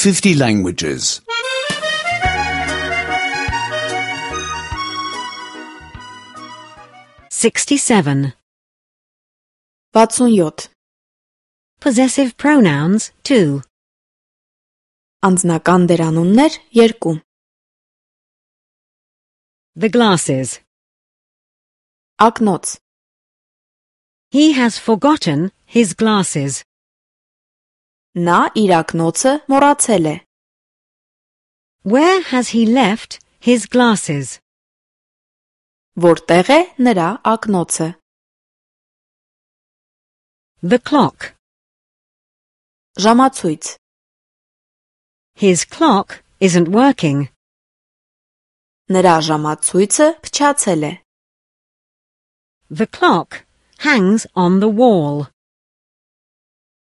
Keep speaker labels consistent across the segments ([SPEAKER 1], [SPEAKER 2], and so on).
[SPEAKER 1] 50 languages.
[SPEAKER 2] 67.
[SPEAKER 3] 67.
[SPEAKER 2] Possessive pronouns 2.
[SPEAKER 3] Անձնական դերանուններ 2.
[SPEAKER 2] The glasses.
[SPEAKER 3] Ակնոց.
[SPEAKER 2] He has forgotten his glasses.
[SPEAKER 3] Նա իր ակնոցը մոռացել է.
[SPEAKER 2] Where has he left his glasses?
[SPEAKER 3] Որտեղ է նրա ակնոցը?
[SPEAKER 2] The clock.
[SPEAKER 3] Ժամացույց.
[SPEAKER 2] His clock isn't working.
[SPEAKER 3] Նրա ժամացույցը փչացել է.
[SPEAKER 2] The clock hangs on the wall.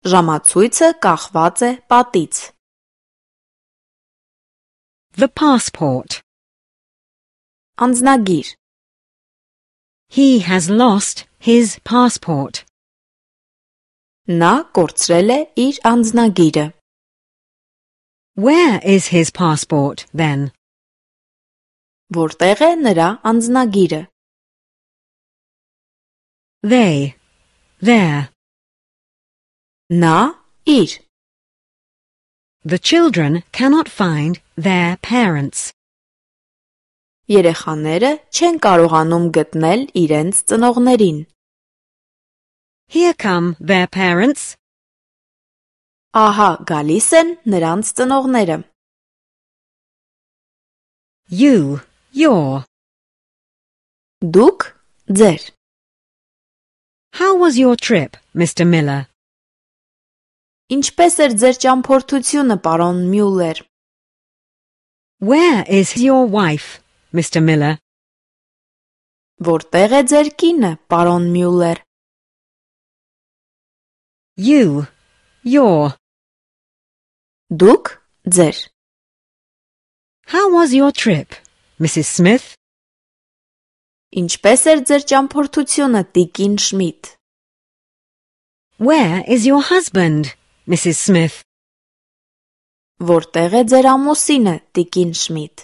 [SPEAKER 3] Ժամացույցը կախված է պատից.
[SPEAKER 2] The passport.
[SPEAKER 3] Անձնագիր.
[SPEAKER 2] He has lost his passport.
[SPEAKER 3] Նա կորցրել է իր անձնագիրը.
[SPEAKER 2] Where is his passport then?
[SPEAKER 3] Որտեղ է նրա անձնագիրը?
[SPEAKER 2] They. There.
[SPEAKER 3] Նա իր.
[SPEAKER 2] The children cannot find their parents.
[SPEAKER 3] Երեխաները չեն կարողանում գտնել իրենց ծնողներին.
[SPEAKER 2] Here come their parents.
[SPEAKER 3] Ահա գալիս են նրանց ծնողները.
[SPEAKER 2] You. Your.
[SPEAKER 3] Դուք ձեր.
[SPEAKER 2] How was your trip, Mr. Miller?
[SPEAKER 3] Ինչպես էր ձեր ճամփորդությունը, պարոն Մյուլլեր?
[SPEAKER 2] Where is your wife, Mr. Miller?
[SPEAKER 3] Որտեղ է ձեր կինը, պարոն Մյուլլեր?
[SPEAKER 2] You. Your.
[SPEAKER 3] Դուք ձեր.
[SPEAKER 2] How was your trip, Mrs. Smith?
[SPEAKER 3] Ինչպես էր ձեր ճամփորդությունը, տիկին Շմիդ?
[SPEAKER 2] Where is your husband, Mrs. Smith?
[SPEAKER 3] Որտեղ է ձեր ամուսինը, տիկին Շմիդ?